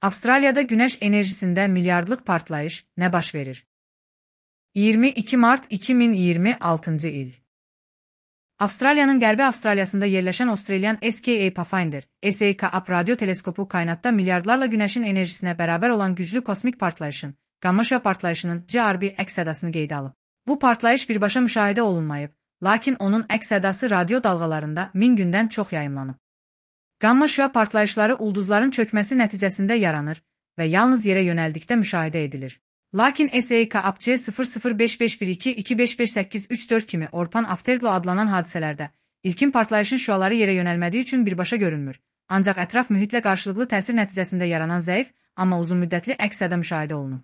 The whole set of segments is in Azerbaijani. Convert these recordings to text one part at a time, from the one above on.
Avustraliyada güneş enerjisinde milyardlık partlayış ne baş verir? 22 Mart 2026 il. Avustralya'nın Qərbi Avstraliyasında yerleşen Australian SKA Pathfinder, SKA radyo teleskopu kaynakta milyardlarla güneşin enerjisine beraber olan güçlü kosmik partlayışın, gamma şöa partlayışının GRB əks sədasını qeydə alıb. Bu partlayış birbaşa müşahidə olunmayıb, lakin onun əks sədası radyo dalğalarında 1000 gündən çox yayımlanıb. Gamma şöa partlayışları ulduzların çökməsi nəticəsində yaranır və yalnız yerə yönəldikdə müşahidə edilir. Lakin SAK APC 005512-25583-4 kimi Orpan Afterglow adlanan hadisələrdə ilkin partlayışın şüaları yerə yönəlmədiyi üçün birbaşa görünmür. Ancaq ətraf mühitlə qarşılıqlı təsir nəticəsində yaranan zəif, amma uzunmüddətli əks səda müşahidə olunur.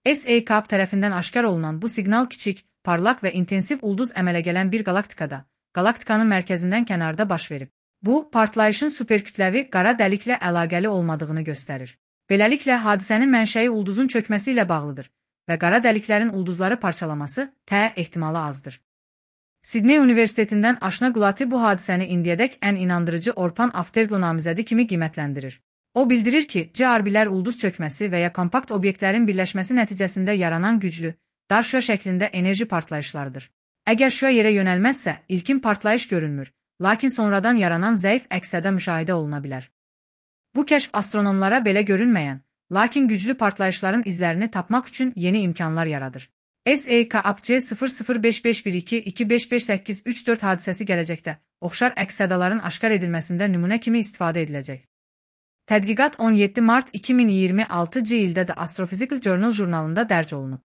SAK tərəfindən aşkar olunan bu siqnal kiçik, parlaq və intensiv ulduz əmələ gələn bir galaktikada, galaktikanın mərkəzindən kənarda baş verib. Bu, partlayışın superkütləvi qara dəliklə əlaqəli olmadığını göstərir. Beləliklə, hadisənin mənşəyi ulduzun çökməsi ilə bağlıdır və qara dəliklərin ulduzları parçalaması ehtimalı azdır. Sidney Universitetindən Aşna Gulati bu hadisəni indiyədək ən inandırıcı Orpan Afterglow namizədi kimi qiymətləndirir. O bildirir ki, GRB-lər ulduz çökməsi və ya kompakt obyektlərin birləşməsi nəticəsində yaranan güclü, dar şüa şəklində enerji partlayışlarıdır. Əgər şüa yerə yönəlməzsə, ilkin partlayış görünmür, lakin sonradan yaranan zəif əks səda müşahidə oluna bilər. Bu kəşf astronomlara belə görünməyən, lakin güclü partlayışların izlərini tapmaq üçün yeni imkanlar yaradır. SAK APC 005512-25583-4 hadisəsi gələcəkdə oxşar əks sədaların aşkar edilməsində nümunə kimi istifadə ediləcək. Tədqiqat 17 Mart 2026 ildə də Astrophysical Journal jurnalında dərc olunub.